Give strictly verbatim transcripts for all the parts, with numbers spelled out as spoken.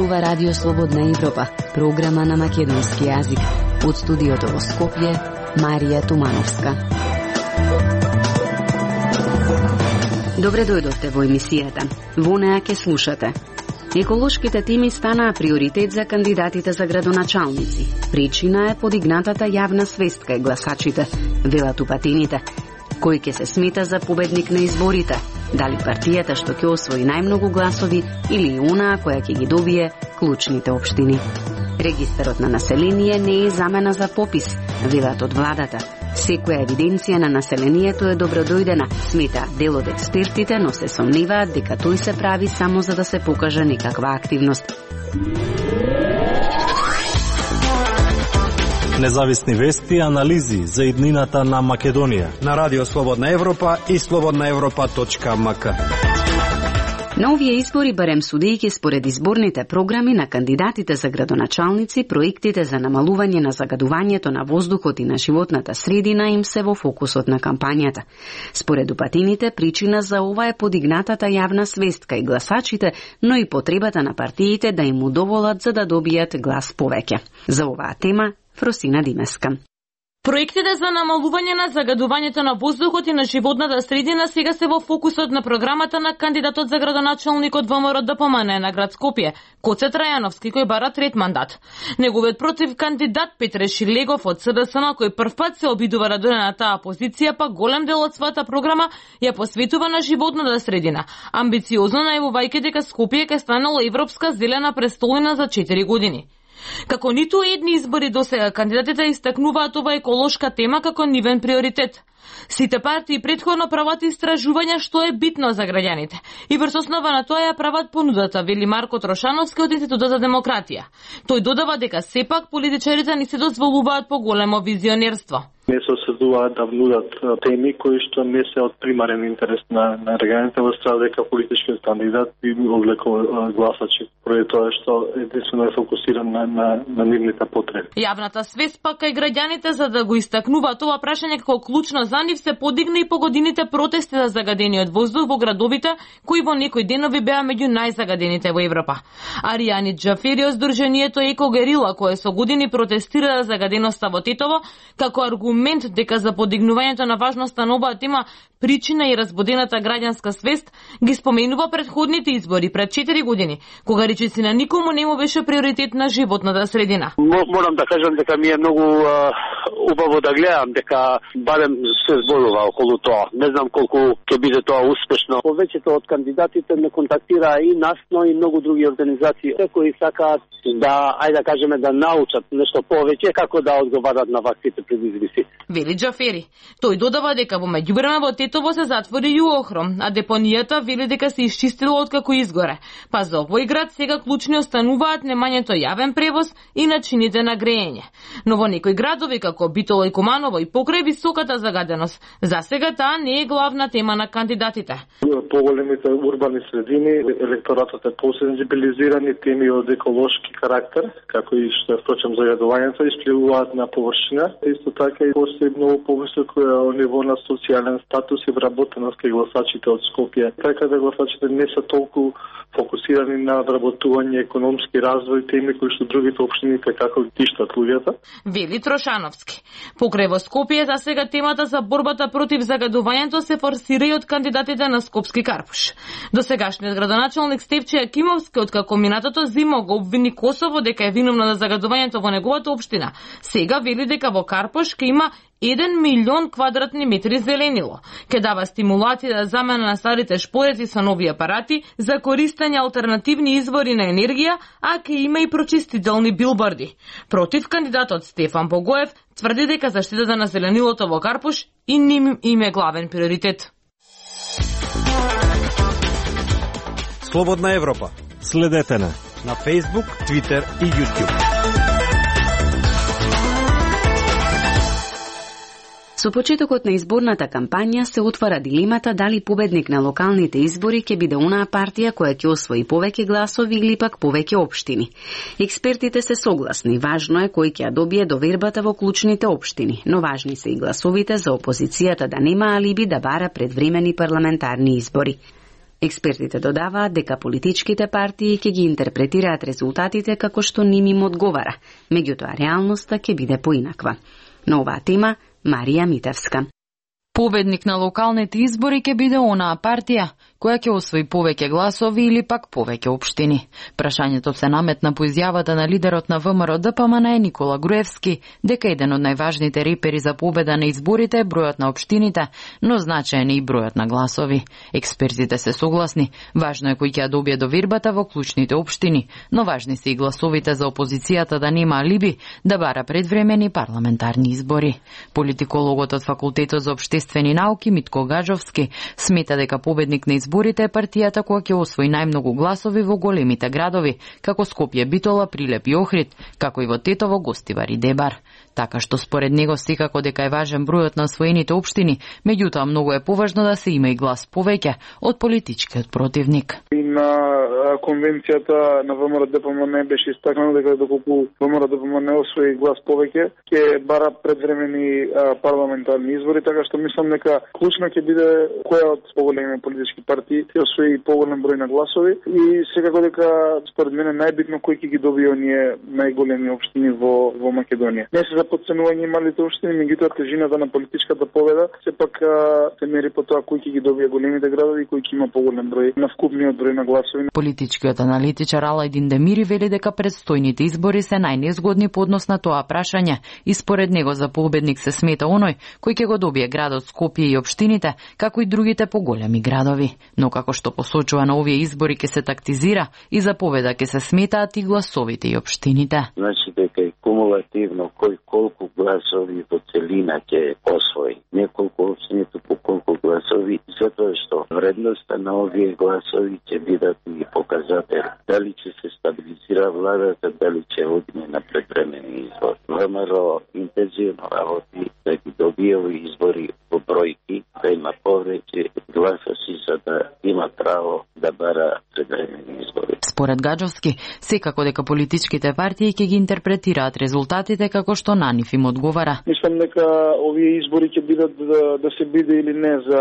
зборува Радио Слободна Европа, програма на македонски јазик. Од студиото во Скопје, Марија Тумановска. Добре дојдовте во емисијата. Во неа ќе слушате. Еколошките теми станаа приоритет за кандидатите за градоначалници. Причина е подигнатата јавна свест кај гласачите, велат упатените. Кој ќе се смета за победник на изборите? Дали партијата што ќе освои најмногу гласови или онаа која ќе ги добие клучните општини? Регистарот на население не е замена за попис, велат од владата. Секоја евиденција на населението е добродојдена, смета дел од експертите, но се сомневаат дека тој се прави само за да се покаже некаква активност. Независни вести и анализи за иднината на Македонија на Радио Слободна Европа и слободна европа точка ем ка. На овие избори, барем судејќи според изборните програми на кандидатите за градоначалници, проектите за намалување на загадувањето на воздухот и на животната средина им се во фокусот на кампањата. Според упатените, причина за ова е подигнатата јавна свест кај гласачите, но и потребата на партиите да им удоволат за да добијат глас повеќе. За оваа тема, Фросина Димеска. Проектите за намалување на загадувањето на воздухот и на животната средина сега се во фокусот на програмата на кандидатот за градоначалник од ВМРО ДПМН на град Скопје, Гоце Трајановски, кој бара трет мандат. Неговиот против кандидат Петре Шилегов од СДСМ, кој првпат се обидува да дојде на таа позиција, па голем дел од својата програма ја посветува на животната средина, амбициозно најавувајќи дека Скопје ќе станало европска зелена престолнина за четири години. Како ниту едни избори досега, кандидатите истакнуваат ова еколошка тема како нивен приоритет. Сите партии претходно прават истражувања што е битно за граѓаните и врз основа на тоа ја прават понудата, вели Марко Трошановски од Институтот за демократија. Тој додава дека сепак политичарите не се дозволуваат поголемо визионерство. Не се осудуваат да внудат теми кои што не се од примарен интерес на, на граѓаните, во страна дека политичкиот кандидат би одлекува гласачи, поради тоа што единствено е фокусиран на, на, на нивните потреби. Јавната свест пак кај граѓаните за да го истакнуваат ова прашање како клучно за нив се подигна и по годините протести за загадениот воздух во градовите, кои во некои денови беа меѓу најзагадените во Европа. Аријани Џафери од Сдруженијето Еко Герила, кое со години протестира загаденоста во Тетово, како аргумент дека за подигнувањето на важноста на оваа тема причина и разбудената граѓанска свест, ги споменува предходните избори пред четири години, кога речиси на никому не му беше приоритет на животната средина. Морам да кажам дека ми е многу uh, убаво да гледам дека барем се зборува околу тоа. Не знам колку ќе биде тоа успешно. Повеќето од кандидатите не контактираа и нас, но и многу други организации кои сакаат да, ајде да кажеме, да научат нешто повеќе како да одговарат на ваквите предизвици. Вели Џафери. Тој додава дека во меѓувреме во Тетово се затвори Јуохром, а депонијата вели дека се исчистила откако изгоре. Па за овој град сега клучни остануваат немањето јавен превоз и начините на грејење. Но во некои градови како Битола и Куманово и покрај високата загаденост, за сега таа не е главна тема на кандидатите. Поголемите урбани средини, електоратот е посензибилизиран и теми од еколошки карактер, како и што е впрочем загадувањето, испливуваат на површина. Исто така и постои многу повисоко ниво на социјален статус и вработеност кај гласачите од Скопје. Така да гласачите не се толку фокусирани на вработување, економски развој, теми кои што другите општини како тиштат луѓето. Вели Трошановски. Покрај во Скопје за сега темата за борбата против загадувањето се форсира и од кандидатите на Скопски Карпуш. Досегашниот градоначалник Стефче Јакимовски откако минатото зима го обвини Косово дека е виновна за загадувањето во неговата општина, сега вели дека во Карпуш ќе има еден милион квадратни метри зеленило. Ке дава стимулација за замена на старите шпореци со нови апарати за користење алтернативни извори на енергија, а ке има и прочистителни билборди. Против кандидатот Стефан Богоев тврди дека заштитата на зеленилото во Карпуш и ним им е главен приоритет. Слободна Европа. Следете на на Facebook, Twitter и YouTube. Со почетокот на изборната кампања се отвара дилемата дали победник на локалните избори ќе биде онаа партија која ќе освои повеќе гласови или пак повеќе општини. Експертите се согласни, важно е кој ќе ја добие довербата во клучните општини, но важни се и гласовите за опозицијата да нема алиби да бара предвремени парламентарни избори. Експертите додаваат дека политичките партии ќе ги интерпретираат резултатите како што ним им одговара, меѓутоа реалноста ќе биде поинаква. На оваа тема Марија Митевска. Победник на локалните избори ќе биде онаа партија која ќе освои повеќе гласови или пак повеќе општини. Прашањето се наметна по изјавата на лидерот на ВМРО-ДПМН е Никола Груевски, дека еден од најважните репери за победа на изборите е бројот на општините, но значаен е и бројот на гласови. Експертите се согласни, важно е кој ќе ја добие довербата во клучните општини, но важни се и гласовите за опозицијата да нема алиби да бара предвремени парламентарни избори. Политикологот од Факултетот за општествени науки Митко Гаджовски смета дека победник на изборите е партијата која ќе освои најмногу гласови во големите градови, како Скопје, Битола, Прилеп и Охрид, како и во Тетово, Гостивар и Дебар. Така што според него секако дека е важен бројот на освоените општини, меѓутоа многу е поважно да се има и глас повеќе од политичкиот противник. И на конвенцијата на ВМРО-ДПМН беше истакнато дека доколку ВМРО-ДПМН освои глас повеќе, ќе бара предвремени парламентарни избори, така што мислам дека клучно ќе биде која од поголеми политички партии ќе освои поголем број на гласови и секако дека според мене најбитно кој ќе ги добие оние најголеми општини во во Македонија. Не се за подценување малите општини, меѓутоа тежината на политичката победа сепак се мери по тоа кој ќе ги добие големите градови и кој ќе има поголем број на вкупниот број на гласови. Политичкиот аналитичар Алајдин Демири вели дека предстојните избори се најнезгодни по однос на тоа прашање и според него за победник се смета оној кој ќе го добие градот Скопје и општините, како и другите поголеми градови. Но како што посочува на овие избори ќе се тактизира и за победа ќе се сметаат и гласовите и општините. Значи дека е кумулативно кој колку гласови во целина ќе освои. Неколку општините по колку гласови, затоа што вредноста на овие гласови ќе бидат и показател дали ќе се стабилизира владата, дали ќе одиме на предвремени избори. ВМРО интензивно работи да ги добие овие избори во бројки, да има повеќе гласови за да има право да бара предвремени избори. Според Гаджовски, секако дека политичките партии ќе ги интерпретираат резултатите како што на нив им одговара. Мислам дека овие избори ќе бидат да, да се биде или не за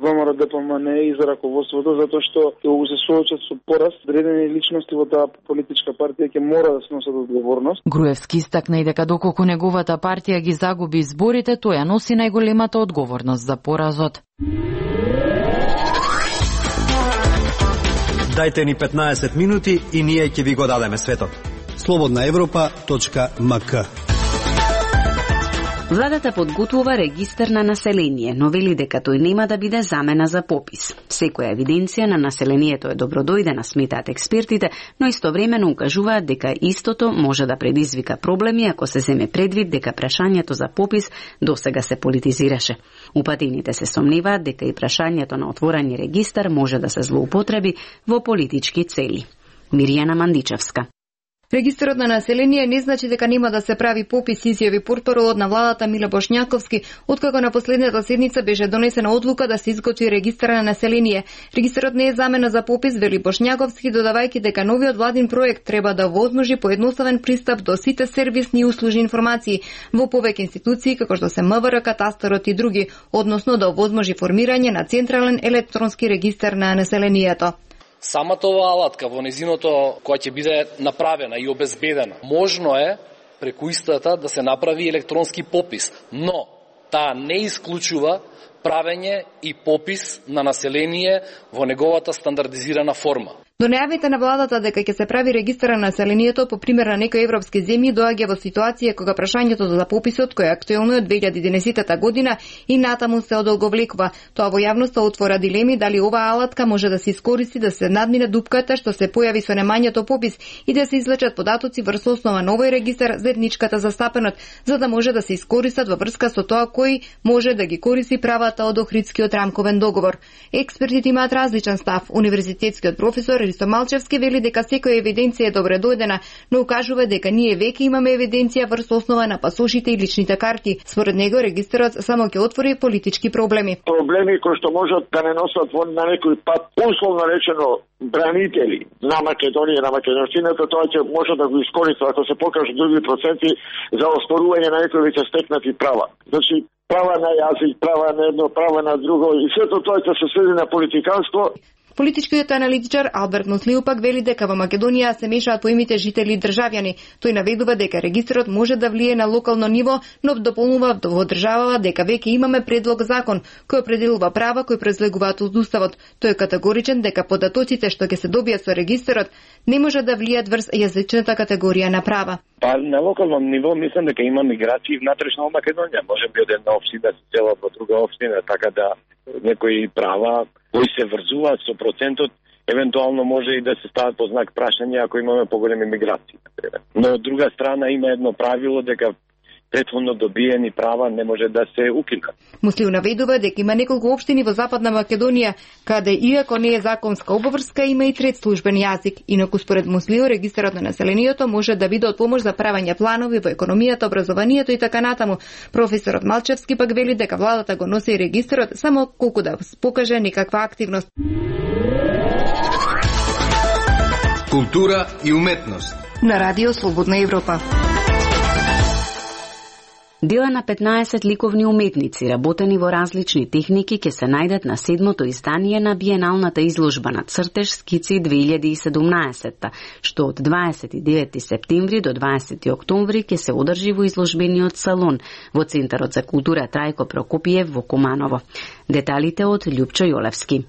ВМРО-ДПМН и за раководството, затоа што ќе се соочат со пораст, одредени личности во таа политичка партија ќе мора да сносат одговорност. Груевски истакна и дека доколку неговата партија ги загуби изборите, тој ја носи најголемата одговорност за поразот. Дајте ни петнаесет минути и ние ќе ви го дадеме светот. слободна европа точка ем ка. Владата подготвува регистар на население, но вели дека тој нема да биде замена за попис. Секоја евиденција на населението е добродојдена, сметаат експертите, но истовремено укажуваат дека истото може да предизвика проблеми ако се земе предвид дека прашањето за попис досега се политизираше. Упатените се сомневаат дека и прашањето на отворени регистар може да се злоупотреби во политички цели. Мирјана Мандичевска. Регистарот на население не значи дека нема да се прави попис, изјави портпаролот на владата Миле Бошњаковски, откако на последната седница беше донесена одлука да се изготви регистар на население. Регистарот не е замена за попис, вели Бошњаковски, додавајќи дека новиот владин проект треба да возможи поедноставен пристап до сите сервисни и услужни информации во повеќе институции како што се МВР, катастарот и други, односно да овозможи формирање на централен електронски регистар на населението. Самата оваа алатка во незиното која ќе биде направена и обезбедена, можно е преку истата да се направи електронски попис, но таа не исклучува правење и попис на население во неговата стандардизирана форма. До најавите на владата дека ќе се прави регистар на населението по пример на некои европски земји доаѓа во ситуација кога прашањето за пописот кој е актуелно од две илјади и единаесета година и натаму се одолговлекува. Тоа во јавноста отвора дилеми дали оваа алатка може да се искористи да се надмине дупката што се појави со немањето попис и да се извлечат податоци врз основа на овој регистар за етничката застапеност, за да може да се искористат во врска со тоа кој може да ги користи правата од Охридскиот рамковен договор. Експертите имаат различен став. Универзитетскиот професор Ристо Малчевски вели дека секоја евиденција е добре дојдена, но укажува дека ние веќе имаме евиденција врз основа на пасошите и личните карти. Според него регистарот само ќе отвори политички проблеми. Проблеми кои што можат да не носат на некој пат условно речено бранители на Македонија, на македонщината, тоа ќе може да го искористи ако се покажат други проценти за оспорување на некои веќе стекнати права. Значи права на јазик, права на едно, права на друго и сето тоа ќе се сведе на политиканство. Политичкиот аналитичар Алберт Муслиу пак вели дека во Македонија се мешаат поимите жители и државјани. Тој наведува дека регистрот може да влие на локално ниво, но дополнува во државава дека веќе имаме предлог закон кој определува права кои произлегуваат од уставот. Тој е категоричен дека податоците што ќе се добијат со регистрот не може да влијат врз јазичната категорија на права. Па на локално ниво мислам дека има миграции внатрешно во Македонија. Може би од една општина се селат во друга општина, така да некои права кои се врзуваат со процентот, евентуално може и да се стават под знак прашање ако имаме поголеми миграции. Но од друга страна има едно правило дека претходно добиени права не може да се укинат. Муслиу наведува дека има неколку општини во Западна Македонија каде иако не е законска обврска има и трет службен јазик. Инаку според Муслиу регистарот на населението може да биде од помош за правење планови во економијата, образованието и така натаму. Професорот Малчевски пак вели дека владата го носи регистарот само колку да покаже некаква активност. Култура и уметност На радио Слободна Европа. Дела на петнаесет ликовни уметници, работени во различни техники, ќе се најдат на седмото издание на биеналната изложба на цртеж скици две илјади и седумнаесетта, што од дваесет и девети септември до дваесети октомври ќе се одржи во изложбениот салон во Центарот за култура Трајко Прокопиев во Куманово. Деталите од Љупчо Јолевски.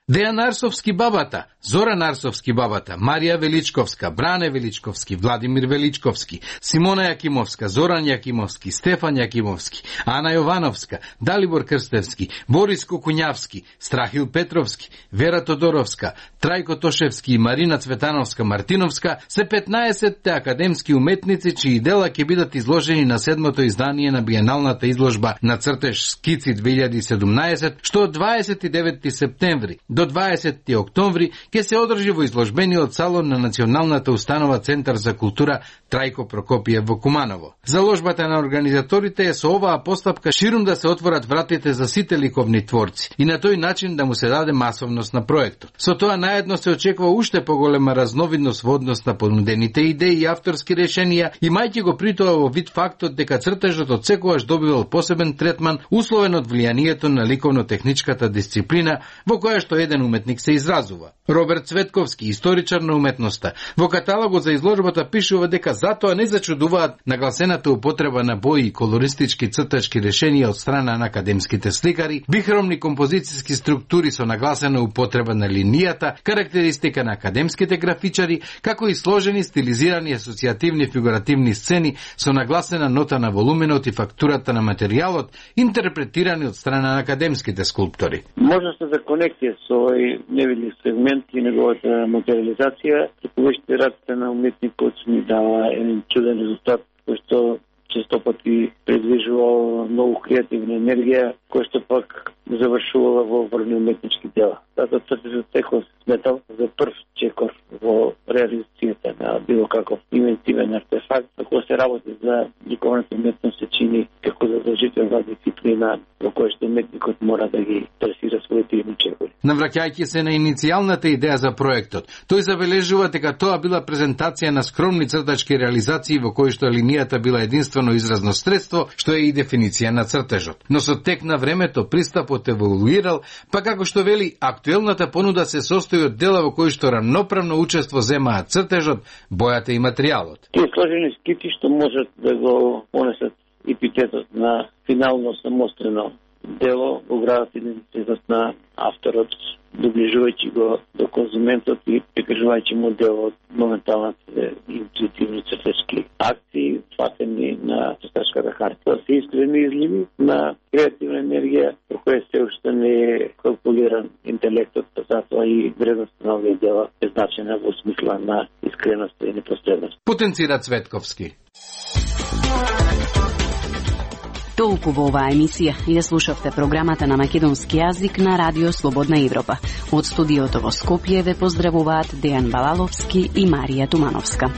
Дејан Арсовски бабата, Зоран Арсовски бабата, Марија Величковска, Бране Величковски, Владимир Величковски, Симона Јакимовска, Зоран Јакимовски, Стефан Јакимовски, Ана Јовановска, Далибор Крстевски, Борис Кокуњавски, Страхил Петровски, Вера Тодоровска, Трајко Тошевски и Марина Цветановска Мартиновска се петнаесетте академски уметници чии дела ќе бидат изложени на седмото издание на биеналната изложба на цртеж скици две илјади и седумнаесет, што од дваесет и девети септември до дваесети октомври ќе се одржи во изложбениот салон на Националната установа Центар за култура Трајко Прокопиев во Куманово. Заложбата на организаторите е со оваа постапка ширум да се отворат вратите за сите ликовни творци и на тој начин да му се даде масовност на проектот. Со тоа наедно се очекува уште поголема разновидност во однос на понудените идеи и авторски решенија, имајќи го при тоа во вид фактот дека цртежот од секогаш добивал посебен третман условен од влијанието на ликовно-техничката дисциплина во која што еден уметник се изразува. Роберт Цветковски, историчар на уметноста, во каталогот за изложбата пишува дека затоа не зачудуваат нагласената употреба на бои и колористички цртачки решенија од страна на академските сликари, бихромни композицијски структури со нагласена употреба на линијата, карактеристика на академските графичари, како и сложени стилизирани асоцијативни фигуративни сцени со нагласена нота на волуменот и фактурата на материјалот, интерпретирани од страна на академските скулптори. Можноста за конекција со овој невидлив сегмент и неговата материализација, се повеќе работата на уметникот ни дава еден чуден резултат, кој што често пати предвижувал многу креативна енергија, кој што пак завршувала во врвни уметнички дела. Затоа цртежот секој сметал за прв чекор во реализацијата на било каков инвентивен артефакт, ако се работи за ликовната уметност се чини како задолжителна дисциплина во која што уметникот мора да ги трасира своите идни чекори. Навраќајќи се на иницијалната идеја за проектот, тој забележува дека тоа била презентација на скромни цртачки реализации во кои што линијата била единствено изразно средство, што е и дефиниција на цртежот. Но со тек на времето пристапот еволуирал, па како што вели, актуелната понуда се состои од дела во кои што рамноправно учество земаат цртежот, бојата и материјалот. Тие сложени скици што можат да го понесат епитетот на финално самостојно дело, го градат идентитетот на авторот, доближувајќи го до конзументот и прикажувајќи му дел од моменталните интуитивни цртачки акции, фатени на цртачката харта, се искрени изливи на креативна енергија, во која се уште не е калкулиран интелектот, затоа и вредноста на овие дела е значена во смисла на искреност и непосредност. Потенцира Цветковски. Толку во оваа емисија. Ја слушавте програмата на македонски јазик на Радио Слободна Европа. Од студиото во Скопје ве поздравуваат Дејан Балаловски и Марија Тумановска.